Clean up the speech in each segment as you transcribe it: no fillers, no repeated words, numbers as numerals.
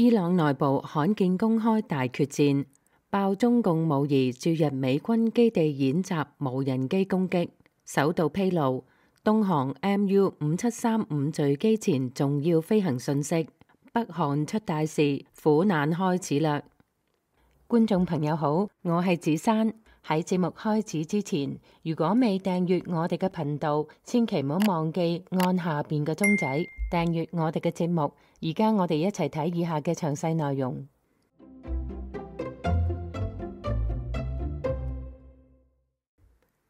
伊朗內部罕見公開大決戰，爆中共模擬駐日美軍基地演習無人機攻擊，首度披露東航 MU5735墜機前重要飛行訊息，北韓出大事，苦難開始啦！觀眾朋友好，我係子珊。喺節目開始之前，如果未訂閱我哋嘅頻道，千祈唔好忘記按下邊嘅鐘仔訂閱我哋嘅節目。而家我哋一齊睇以下嘅詳細內容。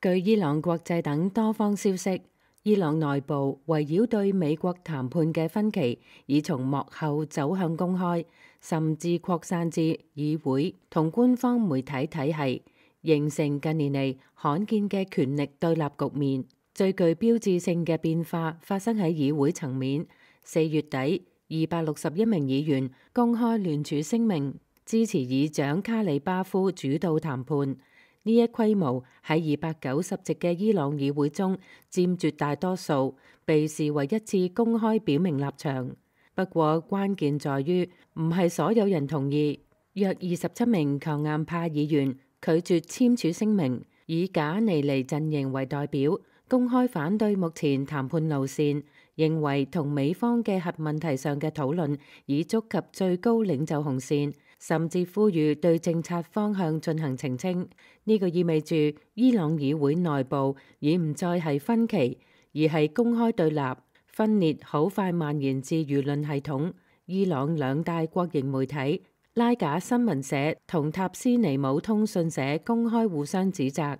據伊朗國際等多方消息，伊朗內部圍繞對美國談判嘅分歧已從幕後走向公開，甚至擴散至議會同官方媒體體系，形成近年嚟罕見嘅權力對立局面。最具標誌性嘅變化發生喺議會層面。4月底，261名議員公開聯署聲明，支持議長卡里巴夫主導談判。呢一規模喺290席嘅伊朗議會中佔絕大多數，被視為一次公開表明立場。不過關鍵在於唔係所有人同意，約27名強硬派議員拒絕簽署聲明，以賈尼尼陣營為代表，公開反對目前談判路線，認為同美方嘅核問題上嘅討論已觸及最高領袖紅線，甚至呼籲對政策方向進行澄清。呢個意味住伊朗議會內部已唔再係分歧，而係公開對立。分裂好快蔓延至輿論系統。伊朗兩大國營媒體拉賈新聞社同塔斯尼姆通訊社公開互相指責，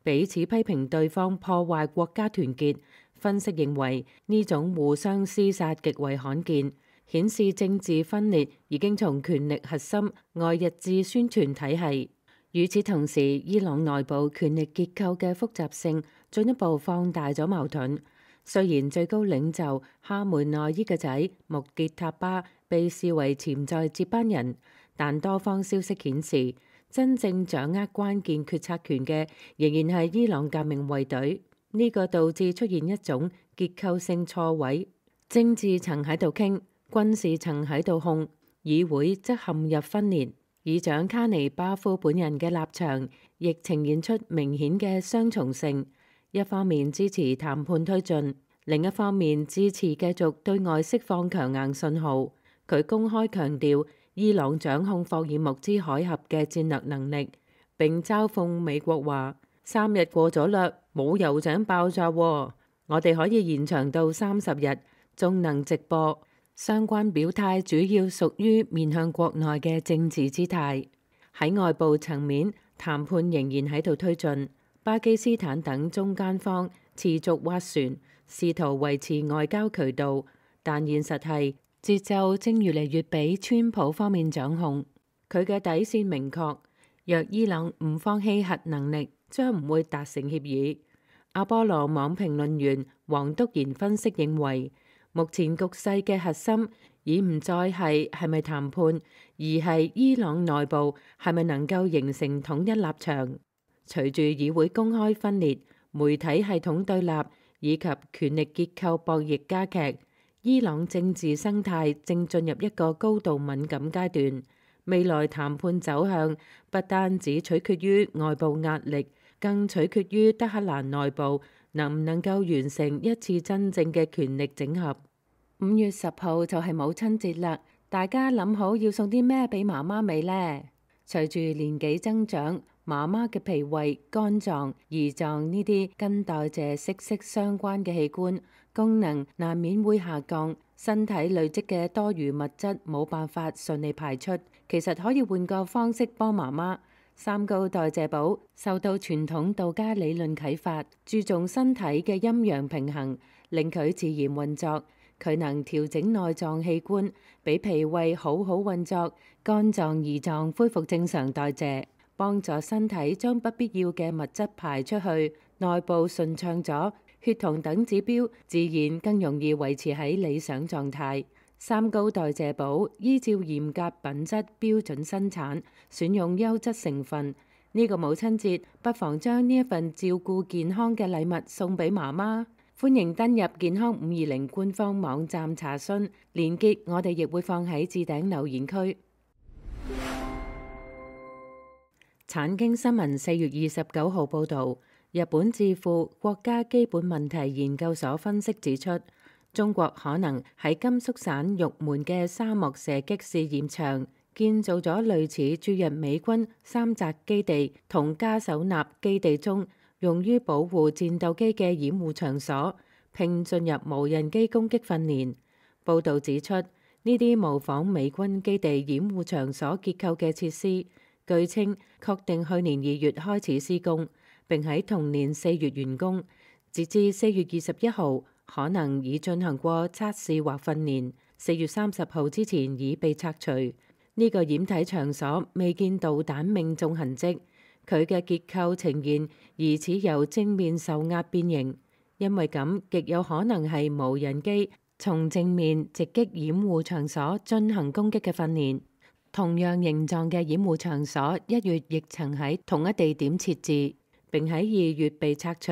彼此批評對方破壞國家團結。分析認為呢種互相廝殺極為罕見，顯示政治分裂已經從權力核心外溢至宣傳體系。與此同時，伊朗內部權力結構嘅複雜性進一步放大咗矛盾。雖然最高領袖哈梅內伊嘅仔穆傑塔巴被視為潛在接班人，但多方消息顯示，真正掌握關鍵決策權嘅仍然係伊朗革命衛隊。呢個導致出現一種結構性錯位：政治層喺度傾，軍事層喺度控，議會則陷入分裂。議長卡尼巴夫本人嘅立場亦呈現出明顯嘅雙重性，一方面支持談判推進，另一方面支持繼續對外釋放強硬信號。佢公開強調伊朗掌控霍爾木茲海峽嘅戰略能力，並嘲諷美國話：3日過咗啦，冇油井爆炸喎，我哋可以延長到30日，仲能直播。相關表態主要屬於面向國內嘅政治姿態。喺外部層面，談判仍然喺度推進。巴基斯坦等中間方持續斡旋，試圖維持外交渠道，但現實係節奏正越嚟越俾川普方面掌控。佢嘅底線明確，若伊朗唔放棄核能力，將唔會達成協議。阿波羅網評論員黃篤賢分析認為，目前局勢嘅核心已唔再係咪談判，而係伊朗內部係咪能夠形成統一立場。隨住議會公開分裂、媒體系統對立以及權力結構博弈加劇，伊朗政治生態正進入一個高度敏感階段。未來談判走向不單只取決於外部壓力，更取決於德黑蘭內部能唔能夠完成一次真正嘅權力整合。5月10號就係母親節啦，大家諗好要送啲咩俾媽媽未呢？隨住年紀增長，媽媽嘅脾胃、肝臟、胰臟呢啲跟代謝息息相關嘅器官功能難免會下降，身體累積嘅多餘物質冇辦法順利排出。其實可以換個方式幫媽媽。三高代謝寶受到傳統道家理論啟發，注重身體嘅陰陽平衡，令佢自然運作。佢能調整內臟器官，俾脾胃好好運作，肝臟、胰臟恢復正常代謝，幫助身體將不必要嘅物質排出去，內部順暢咗，血糖等指標自然更容易維持喺理想狀態。三高代謝寶依照嚴格品質標準生產，選用優質成分。呢個母親節不妨將呢一份照顧健康嘅禮物送俾媽媽。歡迎登入健康520官方網站查詢，連結我哋亦會放喺置頂留言區。產經新聞4月29號報導，日本智庫國家基本問題研究所分析指出，中國可能喺甘肅省玉門嘅沙漠射擊試驗場建造咗類似駐日美軍三澤基地同加手納基地中用於保護戰鬥機嘅掩護場所，並進入無人機攻擊訓練。報導指出，呢啲模仿美軍基地掩護場所結構嘅設施，據稱確定去年2月開始施工，並喺同年4月完工。截至4月21號，可能已進行過測試或訓練，4月30號之前已被拆除。呢個掩體場所未見導彈命中痕跡，佢嘅結構呈現疑似由正面受壓變形，因為咁極有可能係無人機從正面直擊掩護場所進行攻擊嘅訓練。同樣形狀嘅掩護場所1月亦曾喺同一地點設置，並喺2月被拆除，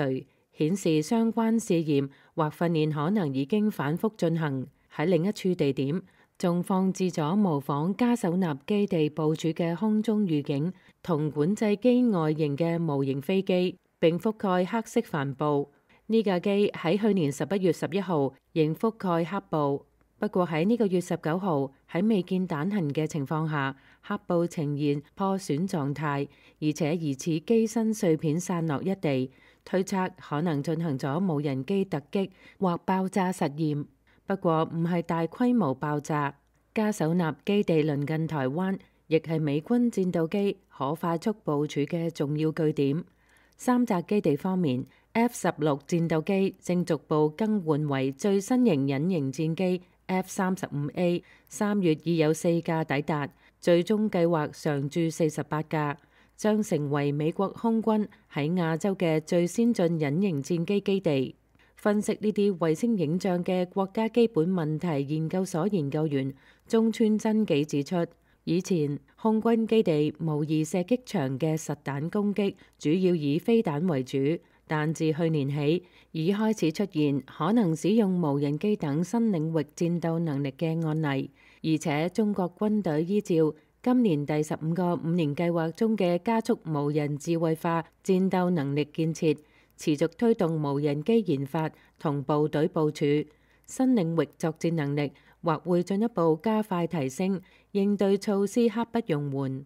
顯示相關試驗或訓練可能已經反覆進行。喺另一處地點，仲放置咗模仿加手納基地部署嘅空中預警同管制機外形嘅模型飛機，並覆蓋黑色帆布。呢架機喺去年11月11號仍覆蓋黑布，不過喺呢個月19號喺未見彈痕嘅情況下，黑布呈現破損狀態，而且疑似機身碎片散落一地，推測可能進行咗無人機突擊或爆炸實驗。不過唔係大規模爆炸。加手納基地鄰近台灣，亦係美軍戰鬥機可快速部署嘅重要據點。三澤基地方面，F-16戰鬥機正逐步更換為最新型隱形戰機 F-35A， 3月已有4架抵達，最終計劃常駐48架，將成為美國空軍喺亞洲嘅最先進隱形戰機基地。分析呢啲衛星影像嘅國家基本問題研究所研究員中村真紀指出，以前空軍基地模擬射擊場嘅實彈攻擊主要以飛彈為主，但自去年起已開始出現可能使用無人機等新領域戰鬥能力嘅案例，而且中國軍隊依照今年第15個5年計劃中嘅加速無人智慧化戰鬥能力建設，持續推動無人機研發同部隊部署，新領域作戰能力或會進一步加快提升，應對措施刻不容緩。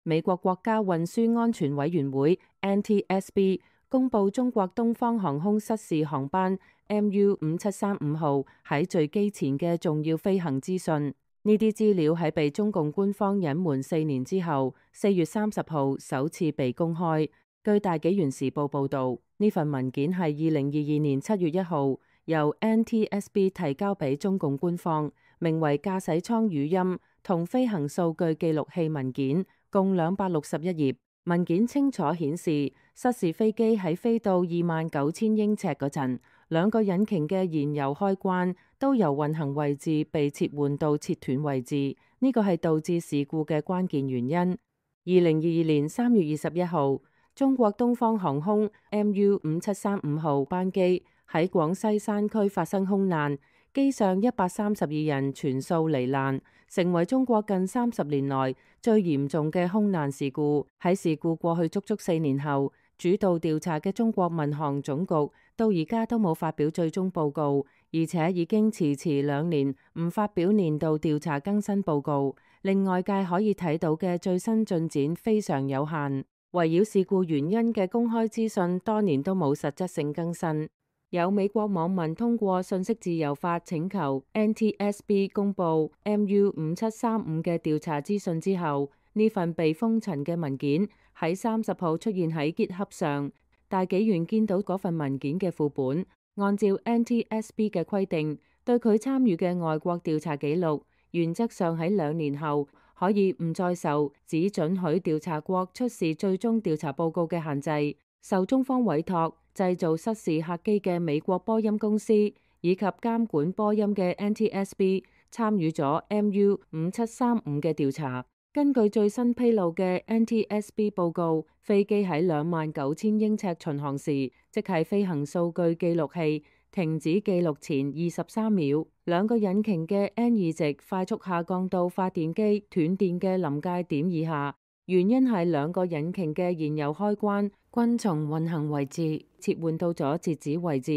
美國國家運輸安全委員會 NTSB 公佈中國東方航空失事航班 MU5735號喺墜機前嘅重要飛行資訊。呢啲資料喺被中共官方隱瞞4年之後，4月30號首次被公開。據大紀元時報報導，呢份文件係2022年7月1號由 NTSB 提交俾中共官方，名為駕駛艙語音同飛行數據記錄器文件，共261頁。文件清楚顯示，失事飛機喺飛到29,000英尺嗰陣，兩個引擎嘅燃油開關都由運行位置被切換到切斷位置，呢個係導致事故嘅關鍵原因。2022年3月21號，中國東方航空 MU5735號班機喺廣西山區發生空難，機上132人全數罹難，成為中國近30年來最嚴重嘅空難事故。喺事故過去足足4年後，主導調查嘅中國民航總局到而家都冇發表最終報告，而且已經遲2年唔發表年度調查更新報告，令外界可以睇到嘅最新進展非常有限。圍繞事故原因嘅公開資訊多年都冇實質性更新。有美國網民通過信息自由法請求 NTSB 公佈 MU5735嘅調查資訊之後，呢份被封塵嘅文件喺30號出現喺 GitHub 上。大紀元見到嗰份文件嘅副本，按照 NTSB 嘅規定，對佢參與嘅外國調查記錄，原則上喺2年後可以唔再受只准許調查國出示最終調查報告嘅限制。受中方委託製造失事客機嘅美國波音公司以及監管波音嘅 NTSB 參與咗 MU5735嘅調查。根據最新披露嘅 NTSB 報告，飛機喺29,000英尺巡航時，即係飛行數據記錄器停止記錄前23秒，兩個引擎嘅 N2 值快速下降到發電機斷電嘅臨界點以下。原因係兩個引擎嘅燃油開關均從運行位置切換到咗截止位置。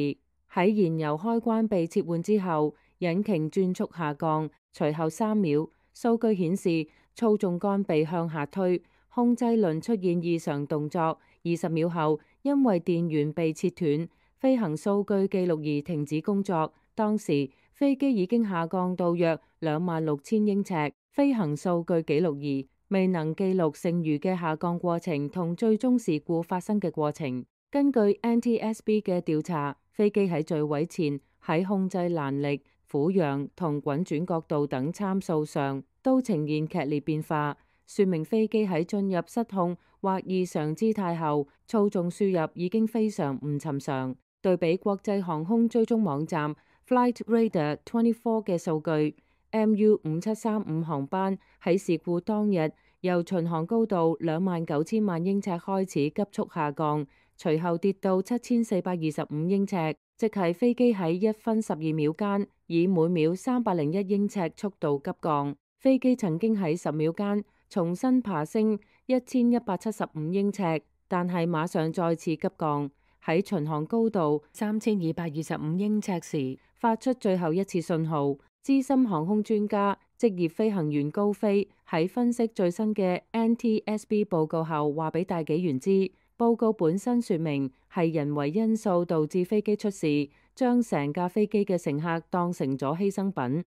喺燃油開關被切換之後，引擎轉速下降，隨後3秒，數據顯示操縱桿被向下推，控制輪出現異常動作。20秒後，因為電源被切斷，飛行數據記錄儀停止工作。當時飛機已經下降到約26,000英尺，飛行數據記錄儀未能記錄剩餘嘅下降過程同最終事故發生嘅過程。根據 NTSB 嘅調查，飛機喺墜毀前喺控制攔力、俯仰同滾轉角度等參數上都呈現劇烈變化，說明飛機喺進入失控或異常姿態後，操縱輸入已經非常唔尋常。對比國際航空追蹤網站 Flightradar24 嘅數據，MU5735 航班喺事故當日由巡航高度29,000萬英尺開始急速下降，隨後跌到7,425英尺，即係飛機喺1分12秒間以每秒301英尺速度急降。飛機曾經喺10秒間重新爬升1,175英尺，但係馬上再次急降。喺巡航高度3,225英尺時發出最後一次信號。資深航空專家、職業飛行員高飛喺分析最新嘅 NTSB 報告後話俾大紀元知，報告本身說明係人為因素導致飛機出事，將成架飛機嘅乘客當成咗犧牲品。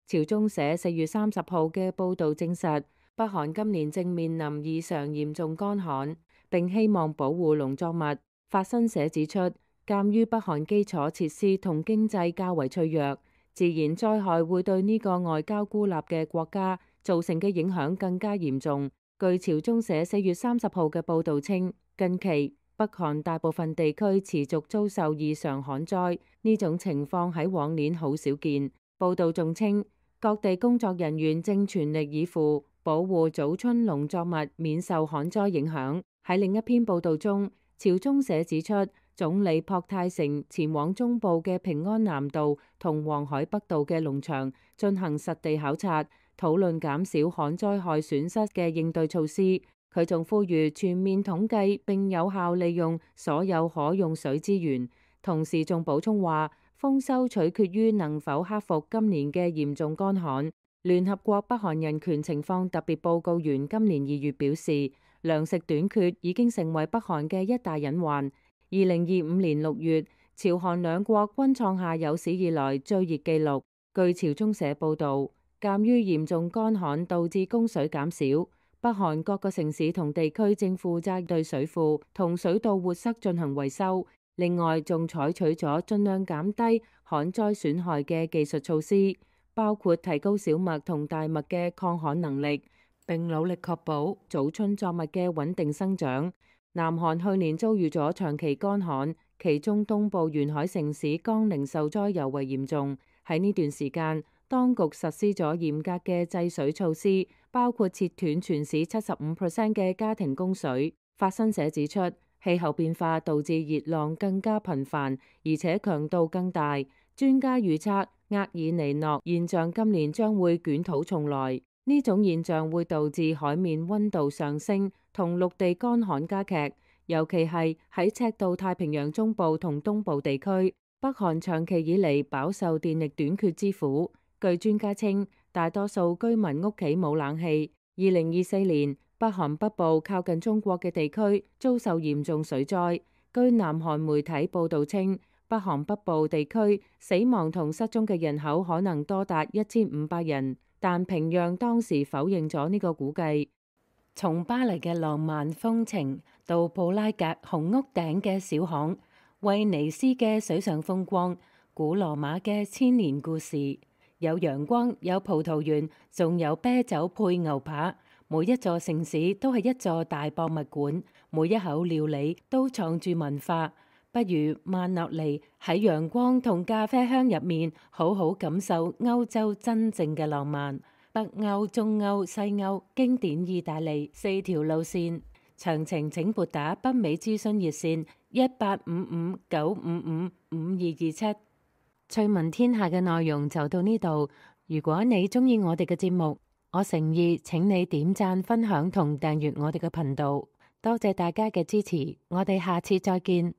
朝中社4月30號嘅報導證實，北韓今年正面臨異常嚴重乾旱，並希望保護農作物。法新社指出，鑑於北韓基礎設施同經濟較為脆弱，自然災害會對呢個外交孤立嘅國家造成嘅影響更加嚴重。據朝中社4月30號嘅報導稱，近期北韓大部分地區持續遭受異常旱災，呢種情況喺往年好少見。報導仲稱，各地工作人員正全力以赴保護早春農作物免受旱災影響。喺另一篇報導中，朝中社指出，總理朴泰成前往中部嘅平安南道同黃海北道嘅農場進行實地考察，討論減少旱災害損失嘅應對措施。佢仲呼籲全面統計並有效利用所有可用水資源，同時仲補充話，豐收取決於能否克服今年嘅嚴重乾旱。聯合國北韓人權情況特別報告員今年2月表示，糧食短缺已經成為北韓嘅一大隱患。2025年6月，朝韓兩國均創下有史以來最熱紀錄。據朝中社報導，鑑於嚴重乾旱導致供水減少，北韓各個城市同地區正負責對水庫同水道活塞進行維修。另外，仲採取咗盡量減低旱災損害嘅技術措施，包括提高小麥同大麥嘅抗旱能力，並努力確保早春作物嘅穩定生長。南韓去年遭遇咗長期乾旱，其中東部沿海城市江陵受災尤為嚴重。喺呢段時間，當局實施咗嚴格嘅制水措施，包括切斷全市75% 嘅家庭供水。法新社指出，氣候變化導致熱浪更加頻繁，而且強度更大。專家預測，厄爾尼諾現象今年將會捲土重來。呢種現象會導致海面溫度上升同陸地乾旱加劇，尤其係喺赤道太平洋中部同東部地區。北韓長期以嚟飽受電力短缺之苦。據專家稱，大多數居民屋企冇冷氣。2024年，北韓北部靠近中國嘅地區遭受嚴重水災。據南韓媒體報導稱，北韓北部地區死亡同失蹤嘅人口可能多達1500人。但平壤當時否認咗呢個估計。從巴黎嘅浪漫風情到布拉格紅屋頂嘅小巷，威尼斯嘅水上風光，古羅馬嘅千年故事，有陽光，有葡萄園，仲有啤酒配牛扒。每一座城市都係一座大博物館，每一口料理都藏住文化。不如慢落嚟喺陽光同咖啡香入面，好好感受歐洲真正嘅浪漫。北歐、中歐、西歐、經典意大利4條路線。詳情請撥打北美諮詢熱線1855-955-5227。趣聞天下嘅內容就到呢度。如果你鍾意我哋嘅節目，我誠意請你點讚、分享同訂閱我哋嘅頻道。多謝大家嘅支持，我哋下次再見。